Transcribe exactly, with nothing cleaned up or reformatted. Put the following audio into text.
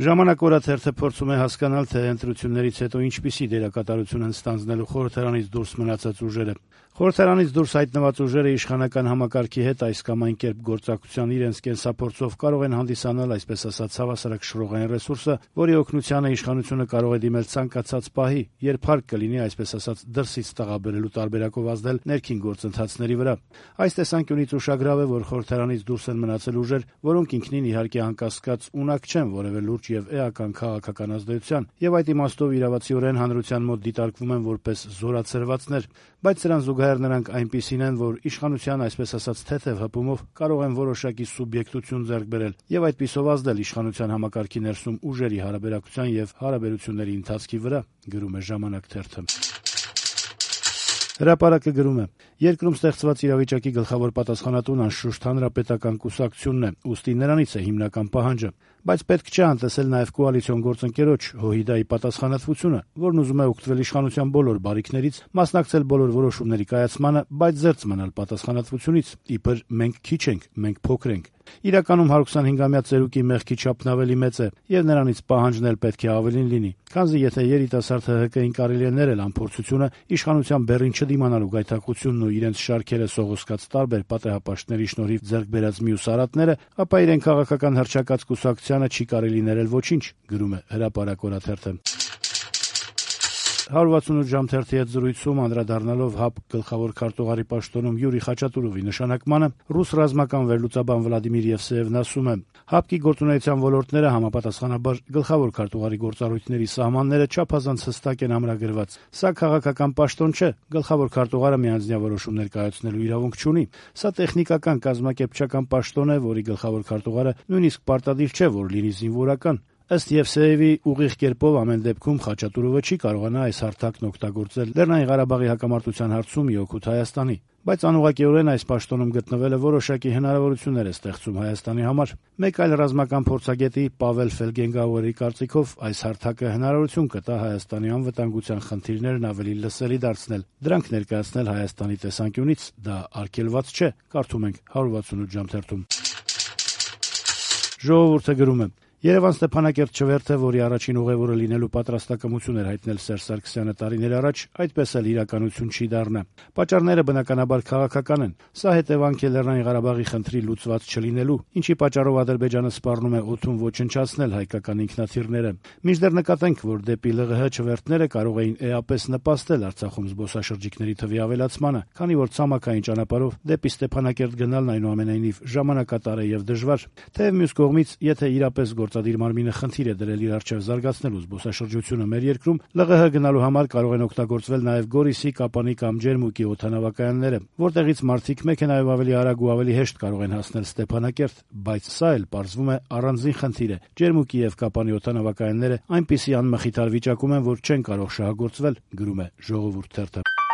Ժամանակ օրաթերթը փորձում է հասկանալ, թե ընտրություններից հետո ինչպիսի դերակատարություն են ստանձնելու խորհրդարանից դուրս մնացած ուժերը։ Խորհրդարանից դուրս հայտնված ուժերը իշխանական համակարգի հետ այս կամ այն կերպ գործակցության իրենց կենսափորձով կարող են հանդիսանալ, այսպես ասած, հավասարակշռողային ռեսուրսը, որի օգնությանը իշխանությունը կարող է դիմել ցանկացած պահի, երբ հարկ կլինի, այսպես ասած, դրսից տաղաբերելու տարբերակով ազդել ներքին գործընթացների վրա։ Այս տեսանկյունից ուշագրավ է, որ խորհրդարանից դուրս են մնացել ուժեր, որոնք ինքնին իհարկե անկասկած ունակ չեն որևէ լուրջ եւ էական քաղաքական ազդեցության, եւ այդ իմաստով իրավացիորեն հանրության մոտ դիտարկվում են որպես զորացրվածներ, բայց սրան զուգահեռ նրանք այնպիսին են, որ իշխանության, այսպես ասած, թեթև հպումով կարող են որոշակի սուբյեկտություն ձեռք բերել եւ այդպիսով ազդել իշխանության համակարգի ներսում ուժերի հարաբերակցության եւ հարաբերությունների ընթացքի վրա, գրում է «Ժամանակ» թերթը։ Հրապարակը գրում է. երկրում ստեղծված իրավիճակի գլխավոր պատասխանատուն անշուշտ հանրապետական կուսակցությունն է, ուստի նրանից է հիմնական պահանջը, բայց պետք չէ անտեսել նաև կոալիցիոն գործընկերոջ ՀՅԴ-ի պատասխանատվությունը, որն ուզում է օգտվել իշխանության բոլոր բարիքներից, մասնակցել բոլոր որոշումների կայացմանը, բայց զերծ մնալ պատասխանատվությունից, իբր մենք քիչ ենք, մենք փոքր ենք։ Իրականում հարյուրհիսունհինգամյա ծերուկի մեղքի չափն ավելի մեծ է, եւ նրանից պահանջն էլ պետք է ավելին լինի, քանզի եթե երիտասարդ ՀՀԿ-ին կարելի է ներել անփորձությունը, իշխանության բեռին չդիմանալու գայթակղությունն ու իրենց շարքերը սողոսկած տարբեր պատեհապաշտների շնորհիվ ձեռք բերած մյուս արատները, ապա իրեն քաղաքական հռչակած կուսակցությանը չի կարելի ներել ոչինչ, գրում է «Հրապարակ» օրաթերթը։ հարյուր վաթսունութ ժամ թերթի հետ զրույցում անդրադառնալով ՀԱՊ գլխավոր քարտուղարի պաշտոնում Յուրի Խաչատուրովի նշանակմանը, ռուս ռազմական վերլուծաբան Վլադիմիր Եվսեևն ասում է. ՀԱՊԿ-ի գործունեության ոլորտները համապատասխանաբար գլխավոր քարտուղարի գործառույթների սահմանները չափազանց հստակ են ամրագրված։ Սա քաղաքական պաշտոն չէ, գլխավոր քարտուղարը միանձնյա որոշումներ կայացնելու իրավունք չունի։ Սա տեխնիկական կազմակերպչական պաշտոն է, որի գլխավոր քարտուղարը նույնիսկ պարտադիր չէ, որ լինի զինվորական։ Ըստ Եվսեևի, ուղիղ կերպով ամեն դեպքում Խաչատուրովը չի կարողանա այս հարթակն օգտագործել Լեռնային Ղարաբաղի հակամարտության հարցում ի օգուտ Հայաստանի, բայց անուղղակիորեն այս պաշտոնում գտնվելը որոշակի հնարավորություններ է ստեղծում Հայաստանի համար։ Մեկ այլ ռազմական փորձագետի Պավել Ֆելգենգաուերի կարծիքով այս հարթակը հնարավորություն կտա Հայաստանի անվտանգության խնդիրներն ավելի լսելի դարձնել, դրանք ներկայացնել Հայաստանի տեսանկյունից, դա արգելված չէ, կարդում ենք հարյուր վաթսունութ ժամ թերթում։ Ժողովուրդը գրում է. Երևան Ստեփանակերտ չվերթը, որի առաջին ուղևորը լինելու պատրաստակամություն էր հայտնել Սերժ Սարգսյանը տարիներ առաջ, այդպես էլ իրականություն չի դառնա։ Պատճառները բնականաբար քաղաքական են։ Սա հետևանք է Լեռնային Ղարաբաղի խնդրի լուծված չլինելու, ինչի պատճառով Ադրբեջանը սպառնում է օդում ոչնչացնել հայկական ինքնաթիռները։ Մինչդեռ նկատենք, որ դեպի ԼՂՀ չվերթները կարող էին էապես նպաստել Արցախում զբոսաշրջիկների թվի ավելացմանը, քանի որ ցամաքային ճանապարհով դեպի Ստեփանակերտ գնալն այնուամենայնիվ ժամանակատար է եւ դժվար։ Թեև մյուս կողմից, եթե իրապես գործադիր մարմինը խնդիր է դրել իր առջև զարգացնելու զբոսաշրջությունը մեր երկրում, ԼՂՀ գնալու համար կարող են օգտագործվել նաև Գորիսի, Կապանի կամ Ջերմուկի օդանավակայանները, որտեղից մարդիկ մեքենայով ավելի արագ ու ավելի հեշտ կարող են հասնել Ստեփանակերտ, բայց սա էլ պարզվում է առանձին խնդիր է։ Ջերմուկի եւ Կապանի օդանավակայանները այնպիսի անմխիթար վիճակում են, որ չեն կարող շահագործվել, գրում է «Ժողովուրդ» թերթը։